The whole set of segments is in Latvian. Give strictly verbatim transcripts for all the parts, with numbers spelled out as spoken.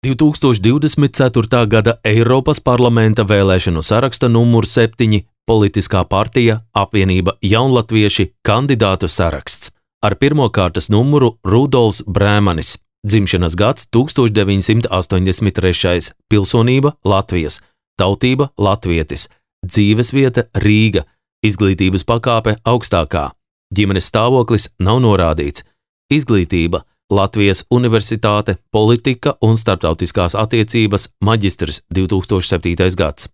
divtūkstoš divdesmit ceturtā gada Eiropas parlamenta vēlēšanu saraksta numur septiņi politiskā partija Apvienība Jaunlatvieši kandidātu saraksts. Ar pirmo kārtas numuru Rudolfs Brēmanis, dzimšanas gads tūkstoš deviņsimt astoņdesmit trešais, pilsonība Latvijas, tautība latvietis, dzīvesvieta Rīga, izglītības pakāpe augstākā, ģimenes stāvoklis nav norādīts, izglītība Latvijas Universitāte, politika un starptautiskās attiecības, maģistrs divtūkstoš septītais gads.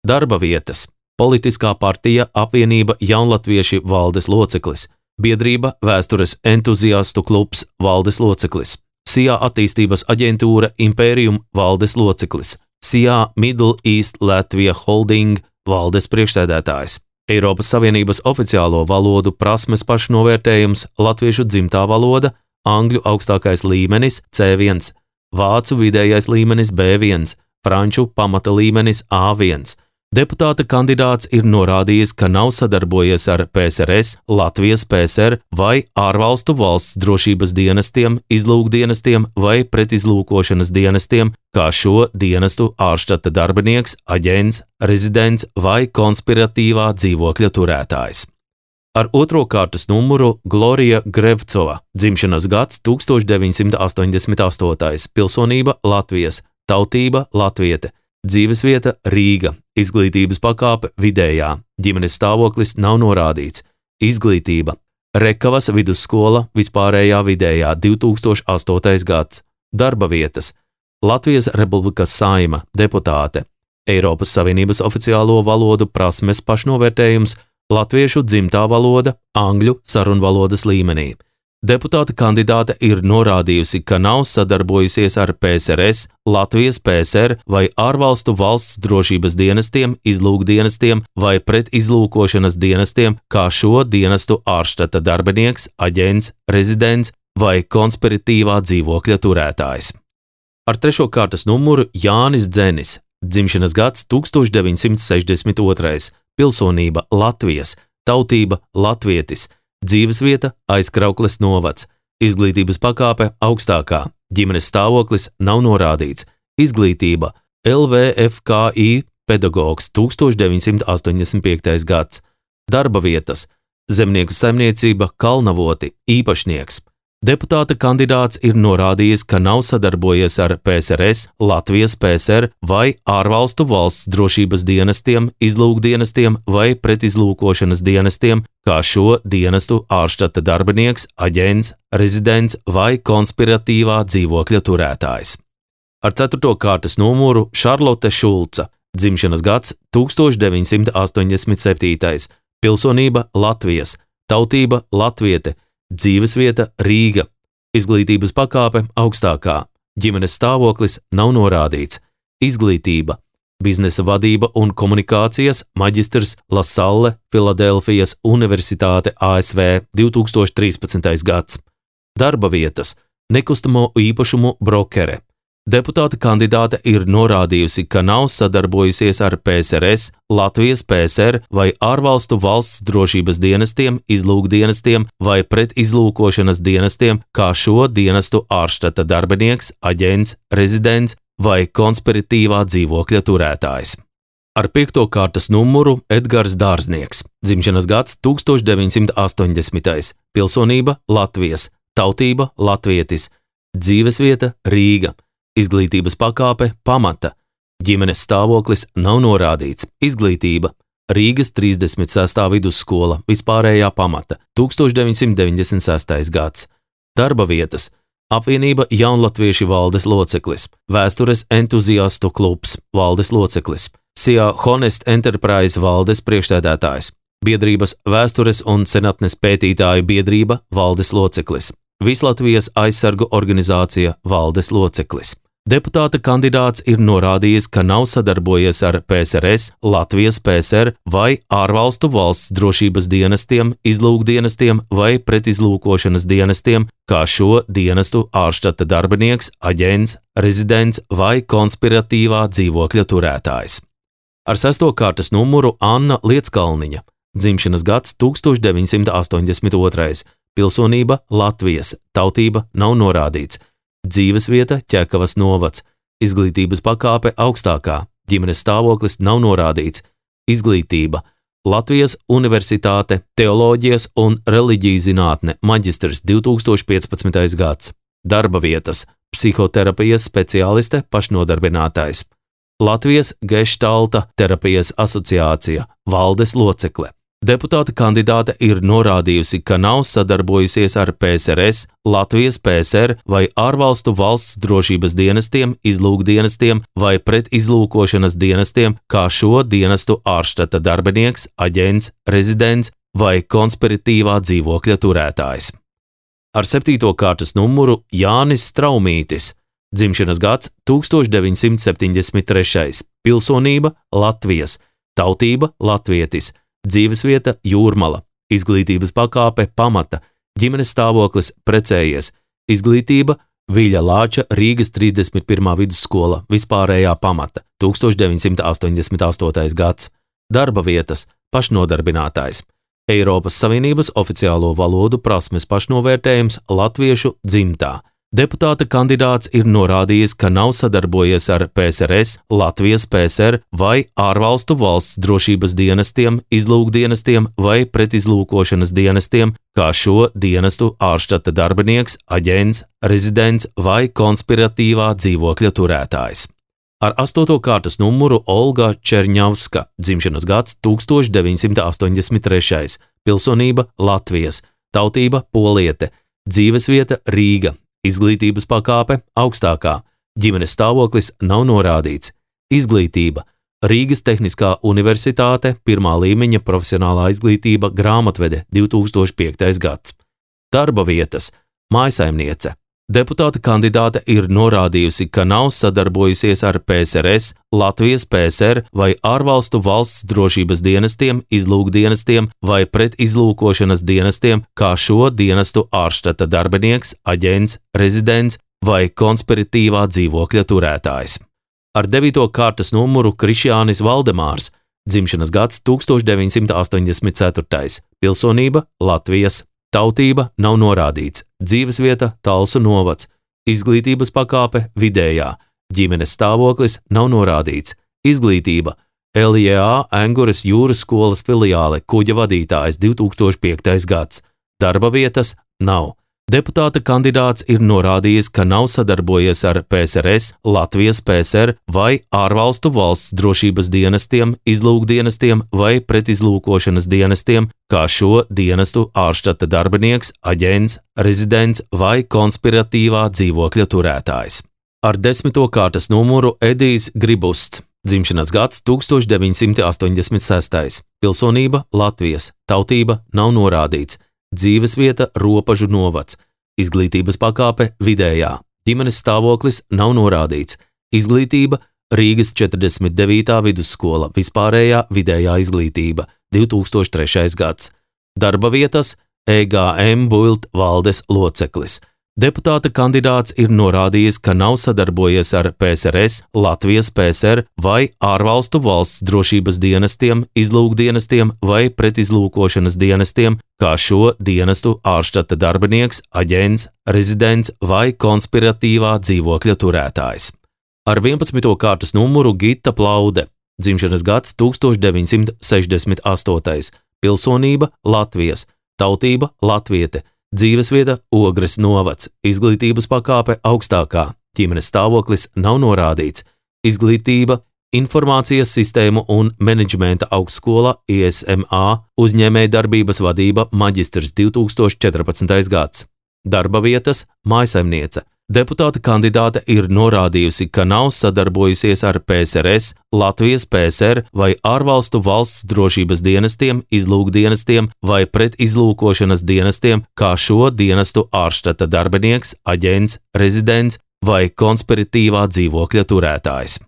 Darba vietas politiskā partija Apvienība Jaunlatvieši valdes loceklis, biedrība Vēstures entuziastu klubs valdes loceklis, S I A attīstības aģentūra Imperium valdes loceklis, S I A Middle East Latvia Holding valdes priekšsēdētājs, Eiropas Savienības oficiālo valodu prasmes pašnovērtējums latviešu dzimtā valoda, angļu augstākais līmenis C viens, vācu vidējais līmenis B viens, franču pamata līmenis A viens. Deputāta kandidāts ir norādījis, ka nav sadarbojies ar P S R S, Latvijas P S R vai ārvalstu valsts drošības dienestiem, izlūkdienestiem vai pretizlūkošanas dienestiem, kā šo dienestu ārštata darbinieks, aģents, rezidents vai konspiratīvā dzīvokļa turētājs. Ar otro kārtas numuru Glorija Grevcova, dzimšanas gads tūkstoš deviņsimt astoņdesmit astotais, pilsonība Latvijas, tautība latviete, dzīvesvieta Rīga, izglītības pakāpe vidējā, ģimenes stāvoklis nav norādīts, izglītība Rekavas vidusskola vispārējā vidējā divtūkstoš astotais gads, darba vietas Latvijas Republikas Saeima, deputāte, Eiropas Savienības oficiālo valodu prasmes pašnovērtējums, latviešu dzimtā valoda, angļu sarunvalodas līmenī. Deputāta kandidāte ir norādījusi, ka nav sadarbojusies ar P S R S, Latvijas P S R vai ārvalstu valsts drošības dienestiem, izlūkdienestiem vai pretizlūkošanas dienestiem, kā šo dienestu ārštata darbinieks, aģents, rezidents vai konspiratīvā dzīvokļa turētājs. Ar trešo kārtas numuru Jānis Dzenis, dzimšanas gads tūkstoš deviņsimt sešdesmit otrais, pilsonība Latvijas, tautība latvietis, dzīvesvieta Aizkraukles novads, izglītības pakāpe augstākā, ģimenes stāvoklis nav norādīts, izglītība L V F K I pedagogs tūkstoš deviņsimt astoņdesmit piektais gads, darba vietas zemnieku saimniecība Kalnavoti, īpašnieks. Deputāta kandidāts ir norādījis, ka nav sadarbojies ar P S R S, Latvijas P S R vai ārvalstu valsts drošības dienestiem, izlūkdienestiem vai pretizlūkošanas dienestiem, kā šo dienestu ārštata darbinieks, aģents, rezidents vai konspiratīvā dzīvokļa turētājs. Ar ceturto kārtas numuru Šarlote Šulca, dzimšanas gads tūkstoš deviņsimt astoņdesmit septītais, pilsonība Latvijas, tautība latviete, dzīvesvieta Rīga, izglītības pakāpe augstākā, ģimenes stāvoklis nav norādīts, izglītība, biznesa vadība un komunikācijas, maģistrs La Salle, Filadelfijas Universitāte A S V divtūkstoš trīspadsmitais gads, darba vietas, nekustamo īpašumu brokere. Deputāta kandidāte ir norādījusi, ka nav sadarbojusies ar P S R S, Latvijas P S R vai ārvalstu valsts drošības dienestiem, izlūkdienestiem vai pretizlūkošanas dienestiem, kā šo dienestu ārštata darbinieks, aģents, rezidents vai konspiratīvā dzīvokļa turētājs. Ar piekto kārtas numuru Edgars Dārznieks, dzimšanas gads tūkstoš deviņsimt astoņdesmitais, pilsonība Latvijas, tautība latvietis, dzīvesvieta Rīga, izglītības pakāpe pamata, ģimenes stāvoklis nav norādīts, izglītība Rīgas trīsdesmit sestā vidusskola vispārējā pamata, tūkstoš deviņsimt deviņdesmit sestais gads, darba vietas Apvienība Jaunlatvieši valdes loceklis, Vēstures entuziastu klubs valdes loceklis, S I A Honest Enterprise valdes priekšsēdētājs, biedrības Vēstures un senatnes pētītāju biedrība valdes loceklis, Vislatvijas aizsargu organizācija valdes loceklis. Deputāta kandidāts ir norādījis, ka nav sadarbojies ar P S R S, Latvijas P S R vai ārvalstu valsts drošības dienestiem, izlūkdienestiem vai pretizlūkošanas dienestiem, kā šo dienestu ārštata darbinieks, aģents, rezidents vai konspiratīvā dzīvokļa turētājs. Ar sesto kārtas numuru Anna Lieckalniņa, dzimšanas gads tūkstoš deviņsimt astoņdesmit otrais, pilsonība Latvijas, tautība nav norādīts, dzīvesvieta Ķekavas novads, izglītības pakāpe augstākā, ģimenes stāvoklis nav norādīts, izglītība, Latvijas Universitāte, teoloģijas un reliģijas zinātne, maģistrs divi tūkstoši piecpadsmitais gads, darba vietas, psihoterapijas speciāliste, pašnodarbinātais, Latvijas Geštalta terapijas asociācija, valdes locekle. Deputāta kandidāte ir norādījusi, ka nav sadarbojusies ar P S R S, Latvijas P S R vai ārvalstu valsts drošības dienestiem, izlūkdienestiem vai pretizlūkošanas dienestiem, kā šo dienestu ārštata darbinieks, aģents, rezidents vai konspiratīvā dzīvokļa turētājs. Ar septīto kārtas numuru Jānis Straumītis, dzimšanas gads tūkstoš deviņsimt septiņdesmit trešais, pilsonība Latvijas, tautība latvietis, dzīvesvieta Jūrmala, izglītības pakāpe pamata, ģimenes stāvoklis precējies, izglītība Viļa Lāča Rīgas trīsdesmit pirmā vidusskola, vispārējā pamata, tūkstoš deviņsimt astoņdesmit astotais gads, darba vietas, pašnodarbinātājs, Eiropas Savienības oficiālo valodu prasmes pašnovērtējums latviešu dzimtā. Deputāta kandidāts ir norādījis, ka nav sadarbojies ar P S R S, Latvijas P S R vai ārvalstu valsts drošības dienestiem, izlūkdienestiem vai pretizlūkošanas dienestiem, kā šo dienestu ārštata darbinieks, aģents, rezidents vai konspiratīvā dzīvokļa turētājs. Ar astoto kārtas numuru Olga Čerņavska, dzimšanas gads tūkstoš deviņsimt astoņdesmit trešais, pilsonība Latvijas, tautība poliete, dzīvesvieta Rīga, izglītības pakāpe augstākā, ģimenes stāvoklis nav norādīts, izglītība Rīgas Tehniskā universitāte, pirmā līmeņa profesionālā izglītība, grāmatvede divi tūkstoši piektais gads, darba vietas, mājsaimniece. Deputāta kandidāte ir norādījusi, ka nav sadarbojusies ar P S R S, Latvijas P S R vai ārvalstu valsts drošības dienestiem, izlūkdienestiem vai pretizlūkošanas dienestiem, kā šo dienestu ārštata darbinieks, aģents, rezidents vai konspiratīvā dzīvokļa turētājs. Ar devīto kārtas numuru Krišjānis Valdemārs, dzimšanas gads tūkstoš deviņsimt astoņdesmit ceturtais, pilsonība Latvijas, tautība nav norādīts, dzīvesvieta Talsu novads, izglītības pakāpe vidējā, ģimenes stāvoklis nav norādīts, izglītība L J A Enguras jūras skolas filiāle, kuģa vadītājs divi tūkstoši piektais gads, darba vietas nav. Deputāta kandidāts ir norādījis, ka nav sadarbojies ar P S R S, Latvijas P S R vai ārvalstu valsts drošības dienestiem, izlūkdienestiem vai pretizlūkošanas dienestiem, kā šo dienestu ārštata darbinieks, aģents, rezidents vai konspiratīvā dzīvokļa turētājs. Ar desmito kārtas numuru Edijs Gribusts, dzimšanas gads tūkstoš deviņsimt astoņdesmit sestais, pilsonība Latvijas, tautība nav norādīts, dzīvesvieta Ropažu novads, izglītības pakāpe vidējā, ģimenes stāvoklis nav norādīts, izglītība Rīgas četrdesmit devītā vidusskola, vispārējā vidējā izglītība, divi tūkstoši trešais gads, darba vietas E G M Bult valdes loceklis. Deputāta kandidāts ir norādījis, ka nav sadarbojies ar P S R S, Latvijas P S R vai ārvalstu valsts drošības dienestiem, izlūkdienestiem vai pretizlūkošanas dienestiem, kā šo dienestu ārštata darbinieks, aģents, rezidents vai konspiratīvā dzīvokļa turētājs. Ar vienpadsmito kārtas numuru Gita Plaude, dzimšanas gads tūkstoš deviņsimt sešdesmit astotais, pilsonība Latvijas, tautība latviete, dzīvesvieta Ogres novads, izglītības pakāpe augstākā, ģimenes stāvoklis nav norādīts, izglītība Informācijas sistēmu un menedžmenta augstskola I S M A, uzņēmējdarbības vadība maģistrs divi tūkstoši četrpadsmitais gads, darba vietas mājsaimniece. Deputāta kandidāte ir norādījusi, ka nav sadarbojusies ar P S R S, Latvijas P S R vai ārvalstu valsts drošības dienestiem, izlūkdienestiem vai pretizlūkošanas dienestiem, kā šo dienestu ārštata darbinieks, aģents, rezidents vai konspiratīvā dzīvokļa turētājs.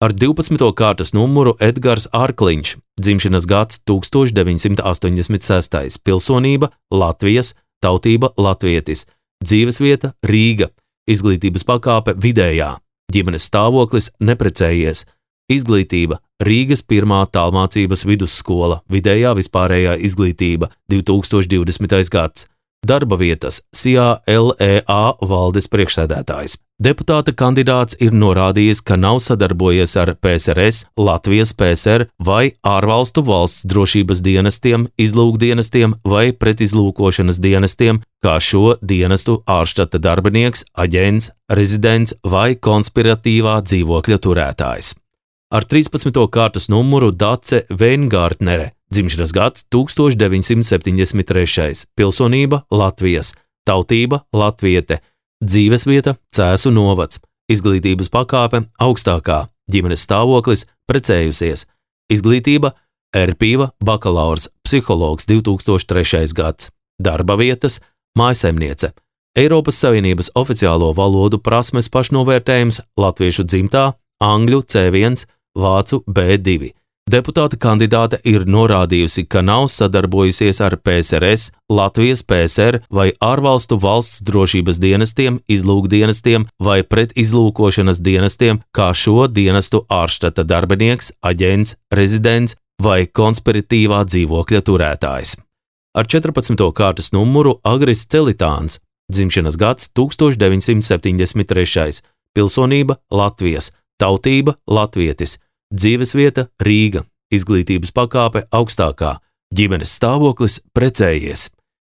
Ar divpadsmito kārtas numuru Edgars Arkliņš, dzimšanas gads tūkstoš deviņsimt astoņdesmit sestais, pilsonība Latvijas, tautība latvietis, dzīvesvieta Rīga, izglītības pakāpe vidējā, ģimenes stāvoklis neprecējies, izglītība Rīgas pirmā tālmācības vidusskola, vidējā vispārējā izglītība, divi tūkstoši divdesmitais gads, Darba vietas S I A L E A valdes priekšsēdētājs. Deputāta kandidāts ir norādījis, ka nav sadarbojies ar P S R S, Latvijas P S R vai ārvalstu valsts drošības dienestiem, izlūkdienestiem vai pretizlūkošanas dienestiem, kā šo dienestu ārštata darbinieks, aģents, rezidents vai konspiratīvā dzīvokļa turētājs. Ar trīspadsmito kārtas numuru Dace Veingārtnere, dzimšanas gads tūkstoš deviņsimt septiņdesmit trešais, pilsonība Latvijas, tautība latviete, dzīvesvieta Cēsu novads, izglītības pakāpe augstākā, ģimenes stāvoklis precējusies, izglītība Erpīva bakalaurs, psihologs divi tūkstoši trešais gads, darba vietas mājsaimniece, Eiropas Savienības oficiālo valodu prasmes pašnovērtējums latviešu dzimtā, angļu C viens, vācu B divi. Deputāta kandidāte ir norādījusi, ka nav sadarbojusies ar P S R S, Latvijas P S R vai ārvalstu valsts drošības dienestiem, izlūkdienestiem vai pretizlūkošanas dienestiem, kā šo dienestu ārštata darbinieks, aģents, rezidents vai konspiratīvā dzīvokļa turētājs. Ar četrpadsmito kārtas numuru Agris Celitāns, dzimšanas gads tūkstoš deviņsimt septiņdesmit trešais, pilsonība Latvijas, tautība latvietis, dzīvesvieta Rīga, izglītības pakāpe augstākā, ģimenes stāvoklis precējies,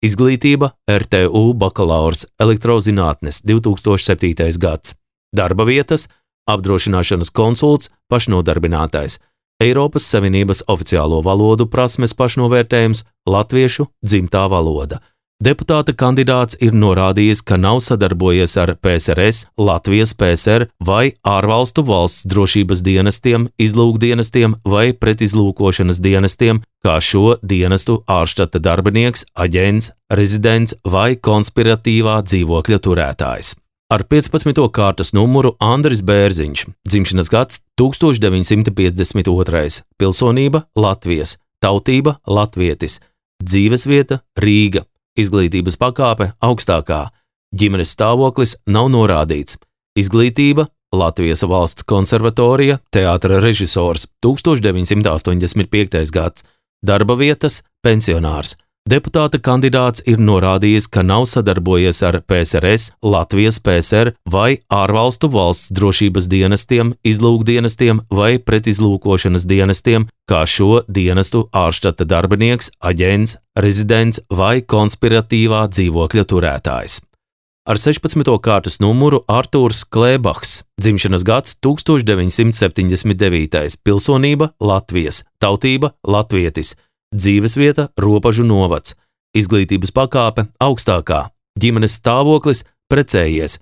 izglītība R T U bakalaurs elektrozinātnes divi tūkstoši septītais gads, darba vietas apdrošināšanas konsults pašnodarbinātais, Eiropas Savienības oficiālo valodu prasmes pašnovērtējums latviešu dzimtā valoda. Deputāta kandidāts ir norādījis, ka nav sadarbojies ar P S R S, Latvijas P S R vai ārvalstu valsts drošības dienestiem, izlūkdienestiem vai pretizlūkošanas dienestiem, kā šo dienestu ārštata darbinieks, aģents, rezidents vai konspiratīvā dzīvokļa turētājs. Ar piecpadsmito kārtas numuru Andris Bērziņš, dzimšanas gads tūkstoš deviņsimt piecdesmit otrais, pilsonība Latvijas, tautība latvietis, dzīvesvieta Rīga, izglītības pakāpe augstākā, ģimenes stāvoklis nav norādīts, izglītība Latvijas valsts konservatorija, teātra režisors tūkstoš deviņsimt astoņdesmit piektais gads, darba vietas pensionārs. Deputāta kandidāts ir norādījis, ka nav sadarbojies ar P S R S, Latvijas P S R vai ārvalstu valsts drošības dienestiem, izlūkdienestiem vai pretizlūkošanas dienestiem, kā šo dienestu ārštata darbinieks, aģents, rezidents vai konspiratīvā dzīvokļa turētājs. Ar sešpadsmito kārtas numuru Artūrs Klēbahs, dzimšanas gads tūkstoš deviņsimt septiņdesmit devītais, pilsonība Latvijas, tautība latvietis, dzīvesvieta Ropažu novads, izglītības pakāpe augstākā, ģimenes stāvoklis precējies,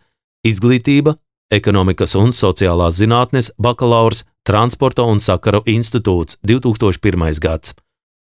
izglītība ekonomikas un sociālās zinātnes bakalaurs, transporta un sakaru institūts divi tūkstoši pirmais gads,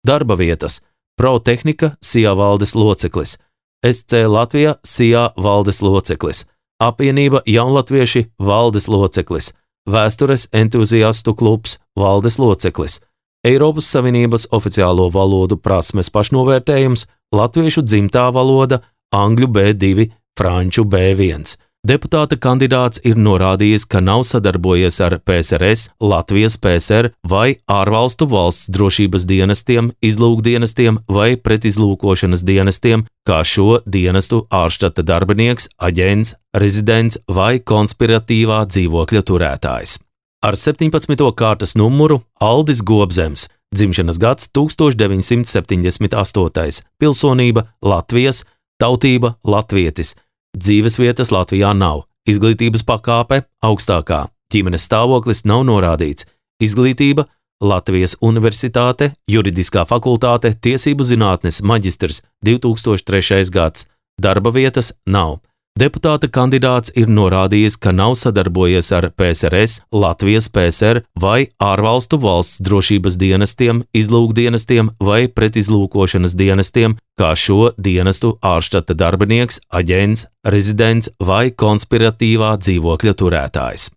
darba vietas Protehnika S I A valdes loceklis, S C Latvija S I A valdes loceklis, apvienība Jaunlatvieši valdes loceklis, vēstures entuziastu klubs valdes loceklis, Eiropas Savienības oficiālo valodu prasmes pašnovērtējums latviešu dzimtā valoda, angļu B divi, franču B viens. Deputāta kandidāts ir norādījis, ka nav sadarbojies ar P S R S, Latvijas P S R vai ārvalstu valsts drošības dienestiem, izlūkdienestiem vai pretizlūkošanas dienestiem, kā šo dienestu ārštata darbinieks, aģents, rezidents vai konspiratīvā dzīvokļa turētājs. Ar septiņpadsmito kārtas numuru Aldis Gobzems, dzimšanas gads tūkstoš deviņsimt septiņdesmit astotais, pilsonība Latvijas, tautība latvietis, dzīvesvietas Latvijā nav, izglītības pakāpe augstākā, ģimenes stāvoklis nav norādīts, izglītība Latvijas Universitāte, juridiskā fakultāte, tiesību zinātnes maģistrs divi tūkstoši trešais gads, darba vietas nav. Deputāta kandidāts ir norādījis, ka nav sadarbojies ar P S R S, Latvijas P S R vai ārvalstu valsts drošības dienestiem, izlūkdienestiem vai pretizlūkošanas dienestiem, kā šo dienestu ārštata darbinieks, aģents, rezidents vai konspiratīvā dzīvokļa turētājs.